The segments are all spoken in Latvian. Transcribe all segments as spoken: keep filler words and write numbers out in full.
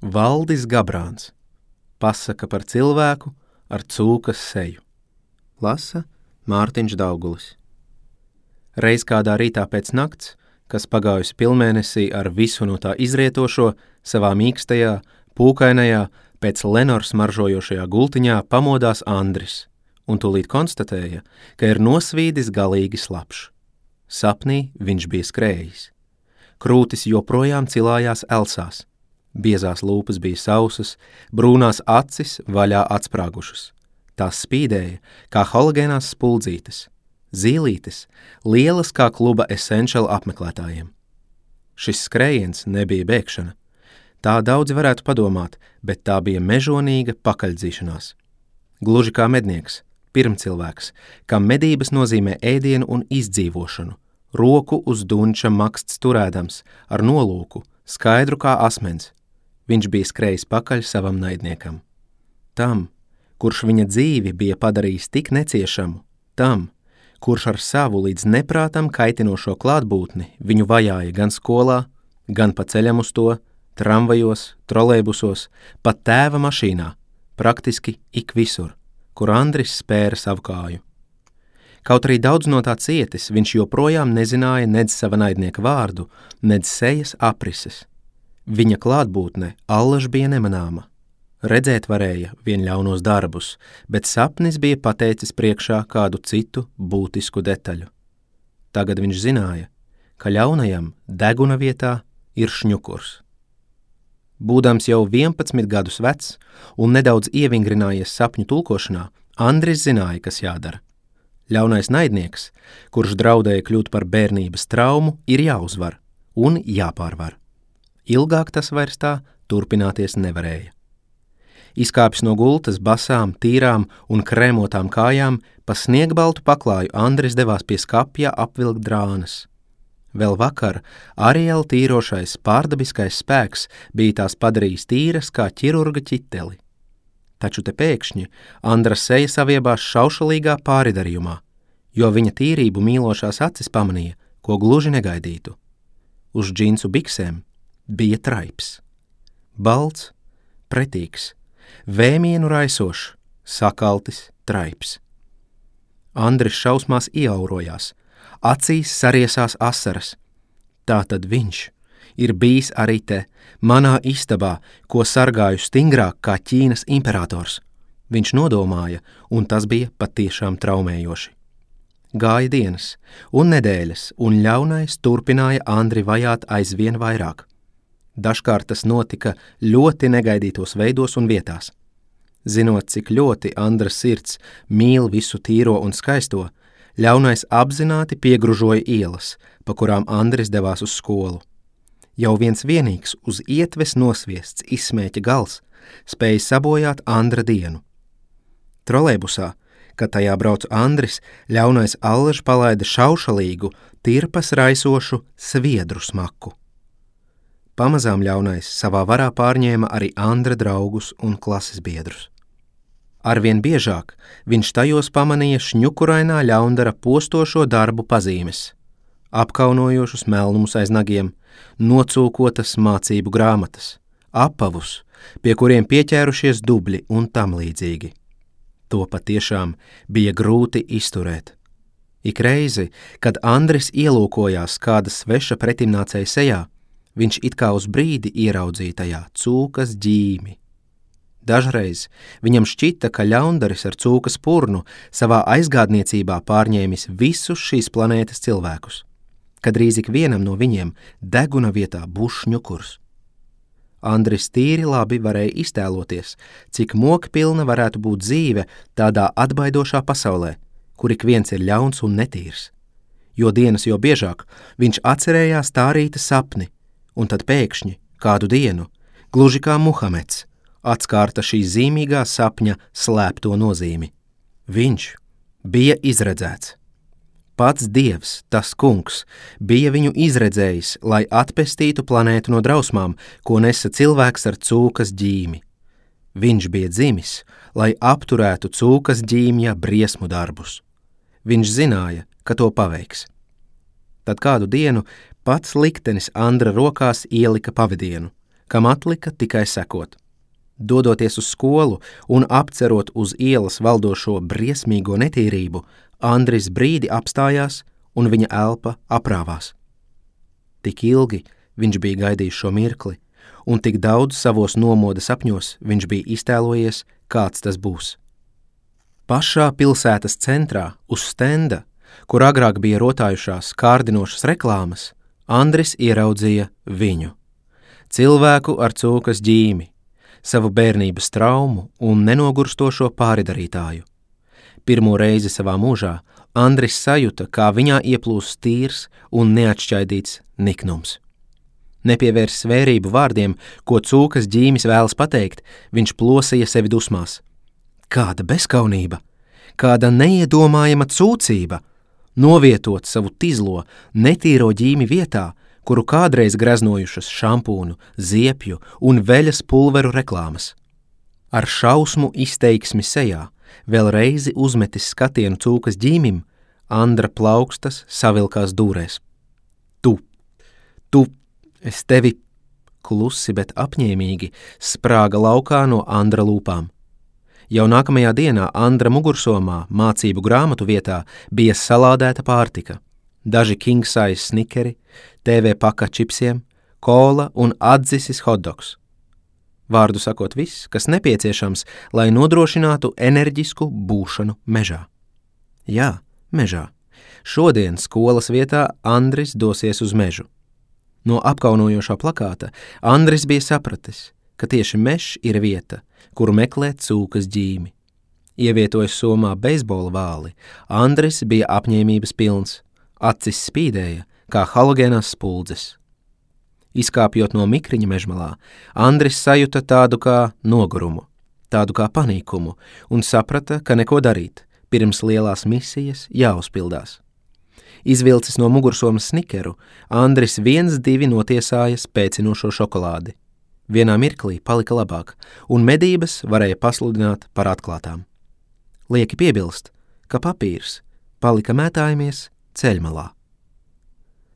Valdis Gabrāns. Pasaka par cilvēku ar cūkas seju. Lasa Mārtiņš Daugulis. Reiz kādā rītā pēc nakts, kas pagājusi pilnmēnesī ar visu no tā izrietošo, savā mīkstajā, pūkainajā, pēc Lenors maržojošajā gultiņā pamodās Andris un tūlīt konstatēja, ka ir nosvīdis galīgi slapš. Sapnī viņš bija skrējis. Krūtis joprojām cilājās elsās. Biezās lūpas bija sausas, brūnās acis vaļā atsprāgušas. Tās spīdēja, kā halogēnās spuldzītes, zīlītes, lielas kā kluba Essential apmeklētājiem. Šis skrējiens nebija bēgšana. Tā daudzi varētu padomāt, bet tā bija mežonīga pakaļdzīšanās. Gluži kā mednieks, pirmcilvēks, kam medības nozīmē ēdienu un izdzīvošanu, roku uz dunča maksts turēdams, ar nolūku, skaidru kā asmens. Viņš bija skrējis pakaļ savam naidniekam. Tam, kurš viņa dzīvi bija padarījis tik neciešamu, tam, kurš ar savu līdz neprātam kaitinošo klātbūtni viņu vajāja gan skolā, gan pa ceļam uz to, tramvajos, trolejbusos, pat tēva mašīnā, praktiski ik visur, kur Andris spēra savu kāju. Kaut arī daudz no tā cietis, viņš joprojām nezināja nedz sava naidnieka vārdu, nedz sejas aprises. Viņa klātbūtne allaž bija nemanāma. Redzēt varēja vien ļaunos darbus, bet sapnis bija pateicis priekšā kādu citu būtisku detaļu. Tagad viņš zināja, ka ļaunajam deguna vietā ir šņukurs. Būdams jau vienpadsmit gadus vecs un nedaudz ievingrinājies sapņu tulkošanā, Andris zināja, kas jādara. Ļaunais naidnieks, kurš draudēja kļūt par bērnības traumu, ir jāuzvar un jāpārvar. Ilgāk tas vairs tā turpināties nevarēja. Izkāpis no gultas basām, tīrām un krēmotām kājām, pa sniegbaltu paklāju Andris devās pie skapja apvilkt drānas. Vēl vakar Ariela tīrošais pārdabiskais spēks bija tās padarījis tīras kā ķirurga ķiteli. Taču te pēkšņi Andra seja saviebās šaušalīgā pāridarījumā, jo viņa tīrību mīlošās acis pamanīja, ko gluži negaidītu. Uz džinsu biksēm bija traips. Balts, pretīgs, vēmienu raisošs, sakaltis traips. Andris šausmās ieaurojās, acīs sariesās asaras. Tātad viņš ir bijis arī te, manā istabā, ko sargāju stingrāk kā Ķīnas imperators. Viņš nodomāja, un tas bija patiešām traumējoši. Gāja dienas un nedēļas, un ļaunais turpināja Andri vajāt aizvien vairāk. Dažkārt tas notika ļoti negaidītos veidos un vietās. Zinot, cik ļoti Andra sirds mīl visu tīro un skaisto, ļaunais apzināti piegružoja ielas, pa kurām Andris devās uz skolu. Jau viens vienīgs uz ietves nosviests izsmēķa gals spēja sabojāt Andra dienu. Trolejbusā, kad tajā brauc Andris, ļaunais allaž palaida šaušalīgu, tirpas raisošu sviedru smaku. Pamazām ļaunais savā varā pārņēma arī Andra draugus un klases biedrus. Arvien biežāk viņš tajos pamanīja šņukurainā ļaundara postošo darbu pazīmes, apkaunojošus melnumus aiz nagiem, nocūkotas mācību grāmatas, apavus, pie kuriem pieķērušies dubļi un tam līdzīgi. To patiešām bija grūti izturēt. Ik reizi, kad Andris ielūkojās kāda sveša pretimnācēja sejā, viņš it kā uz brīdi ieraudzīja tajā cūkas ģīmi. Dažreiz viņam šķita, ka ļaundaris ar cūkas purnu savā aizgādniecībā pārņēmis visus šīs planētas cilvēkus, kad drīz ik vienam no viņiem deguna vietā būs šņukurs. Andris tīri labi varēja iztēloties, cik mokpilna varētu būt dzīve tādā atbaidošā pasaulē, kur ik viens ir ļauns un netīrs. Jo dienas jo biežāk viņš atcerējās tā rīta sapni, un tad pēkšņi, kādu dienu, gluži kā Muhameds, atskārta šī zīmīgā sapņa slēpto nozīmi. Viņš bija izredzēts. Pats Dievs, tas kungs, bija viņu izredzējis, lai atpestītu planētu no drausmām, ko nesa cilvēks ar cūkas ģīmi. Viņš bija dzimis, lai apturētu cūkas ģīmja briesmu darbus. Viņš zināja, ka to paveiks. Tad kādu dienu pats liktenis Andra rokās ielika pavadienu, kam atlika tikai sekot. Dodoties uz skolu un apcerot uz ielas valdošo briesmīgo netīrību, Andris brīdi apstājās un viņa elpa aprāvās. Tik ilgi viņš bija gaidījis šo mirkli, un tik daudz savos nomoda sapņos viņš bija iztēlojies, kāds tas būs. Pašā pilsētas centrā, uz stenda, kur agrāk bija rotājušās kārdinošas reklāmas, Andris ieraudzīja viņu. Cilvēku ar cūkas ģīmi, savu bērnības traumu un nenogurstošo pāridarītāju. Pirmo reizi savā mūžā Andris sajuta, kā viņā ieplūst tīrs un neatšķaidīts niknums. Nepievērs svērību vārdiem, ko cūkas ģīmis vēlas pateikt, viņš plosīja sevi dusmās. Kāda bezkaunība, kāda neiedomājama cūcība, novietot savu tizlo, netīro ģīmi vietā, kuru kādreiz greznojušas šampūnu, ziepju un veļas pulveru reklāmas. Ar šausmu izteiksmi sejā, vēl reizi uzmetis skatienu cūkas ģīmim, Andra plaukstas savilkās dūrēs. Tu, tu, es tevi, klusi, bet apņēmīgi, sprāga laukā no Andra lūpām. Jau nākamajā dienā Andra mugursomā mācību grāmatu vietā bija salādēta pārtika, daži king size snikeri, T V paka čipsiem, kola un atdzisis hotdogs. Vārdu sakot viss, kas nepieciešams, lai nodrošinātu enerģisku būšanu mežā. Jā, mežā. Šodien skolas vietā Andris dosies uz mežu. No apkaunojošā plakāta Andris bija sapratis, ka tieši mežs ir vieta, kuru meklē cūkas ģīmi. Ievietojas somā beisbola vāli, Andris bija apņēmības pilns, acis spīdēja, kā halogēnās spuldzes. Izkāpjot no mikriņa mežmalā, Andris sajuta tādu kā nogurumu, tādu kā panīkumu un saprata, ka neko darīt, pirms lielās misijas jāuzpildās. Izvilcis no mugursomas snikeru, Andris viens divi notiesāja spēcinošo šokolādi. Vienā mirklī palika labāk, un medības varēja pasludināt par atklātām. Lieki piebilst, ka papīrs palika mētājamies ceļmalā.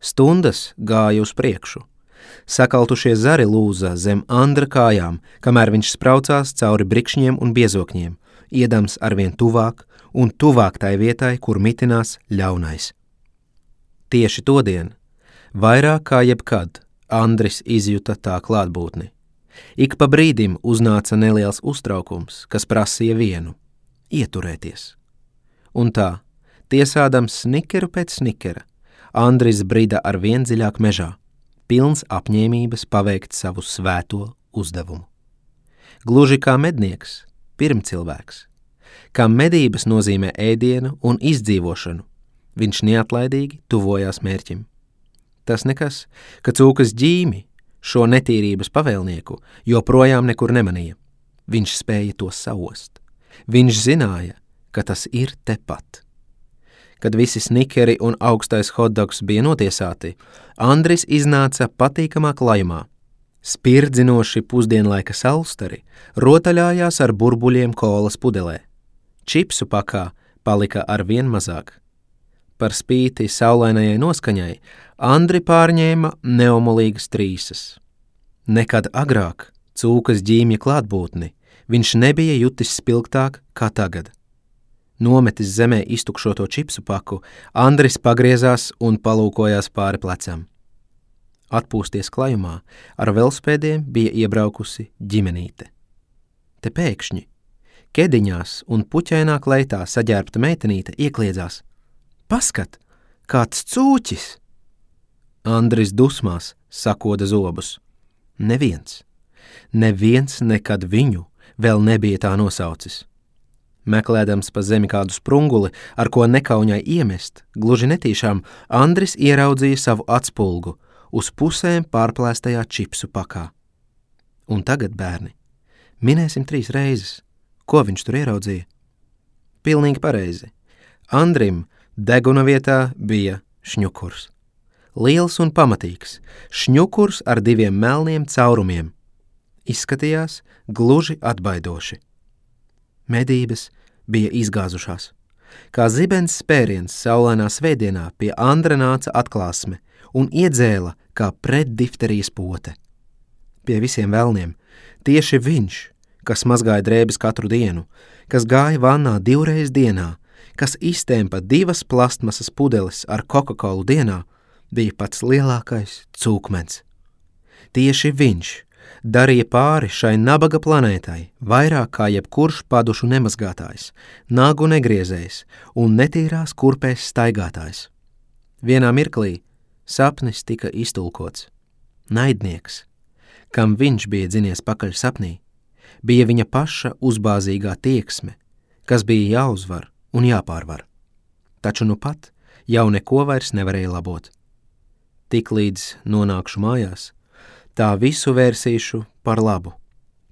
Stundas gāja uz priekšu. Sakaltušie zari lūza zem Andra kājām, kamēr viņš spraucās cauri brikšņiem un biezokņiem, iedams arvien tuvāk un tuvāk tai vietai, kur mitinās ļaunais. Tieši todien, vairāk kā jebkad, Andris izjuta tā klātbūtni. Ik pa brīdim uznāca neliels uztraukums, kas prasīja vienu – ieturēties. Un tā, tiesādams snikeru pēc snikera, Andris brida ar vien dziļāk mežā, pilns apņēmības paveikt savu svēto uzdevumu. Gluži kā mednieks, pirmcilvēks, kam medības nozīmē ēdienu un izdzīvošanu, viņš neatlaidīgi tuvojās mērķim. Tas nekas, ka cūkas ģīmi, šo netīrības pavēlnieku, joprojām nekur nemanīja. Viņš spēja to saost. Viņš zināja, ka tas ir tepat. Kad visi snikeri un augstais hotdogs bija notiesāti, Andris iznāca patīkamā klajumā. Spirdzinoši pusdienlaika salstari rotaļājās ar burbuļiem kolas pudelē. Čipsu pakā palika ar vien mazāk. Par spīti saulainajai noskaņai, Andri pārņēma neomolīgas trīsas. Nekad agrāk cūkas ģīmja klātbūtni viņš nebija jutis spilgtāk kā tagad. Nometis zemē iztukšoto čipsu paku, Andris pagriezās un palūkojās pāri plecam. Atpūsties klajumā, ar velospēdiem bija iebraukusi ģimenīte. Te pēkšņi, kediņās un puķainā kleitā saģērbta meitenīte iekliedzās. Paskat, kāds cūķis! Andris dusmās sakoda zobus. Neviens, neviens nekad viņu vēl nebija tā nosaucis. Meklēdams pa zemi kādu sprunguli, ar ko nekauņai iemest, gluži netīšām, Andris ieraudzīja savu atspulgu uz pusēm pārplēstajā čipsu pakā. Un tagad, bērni, minēsim trīs reizes, ko viņš tur ieraudzīja. Pilnīgi pareizi. Andrim deguna vietā bija šņukurs. Liels un pamatīgs, šņukurs ar diviem melniem caurumiem. Izskatījās gluži atbaidoši. Medības bija izgāzušās. Kā zibens spēriens saulainā svētdienā pie Andra nāca atklāsme un iedzēla kā pretdifterijas pote. pie visiem velniem. Tieši viņš, kas mazgāja drēbes katru dienu, kas gāja vannā divreiz dienā, kas iztēmpa divas plastmasas pudeles ar Coca-Colu dienā, bija pats lielākais cūkmens. Tieši viņš darīja pāri šai nabaga planētai vairāk kā jebkurš padušu nemazgātājs, nagu negriezējs un netīrās kurpēs staigātājs. Vienā mirklī sapnis tika iztulkots. Naidnieks, kam viņš bija dzinies pakaļ sapnī, bija viņa paša uzbāzīgā tieksme, kas bija jāuzvar un jāpārvar. Taču nu pat jau neko vairs nevarēja labot. Tiklīdz nonākšu mājās, tā visu vērsīšu par labu,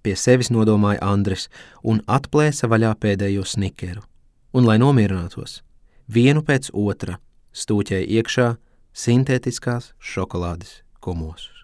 pie sevis nodomāja Andris un atplēsa vaļā pēdējo snikeru. Un, lai nomierinātos, vienu pēc otra stūķēja iekšā sintētiskās šokolādes kumosus.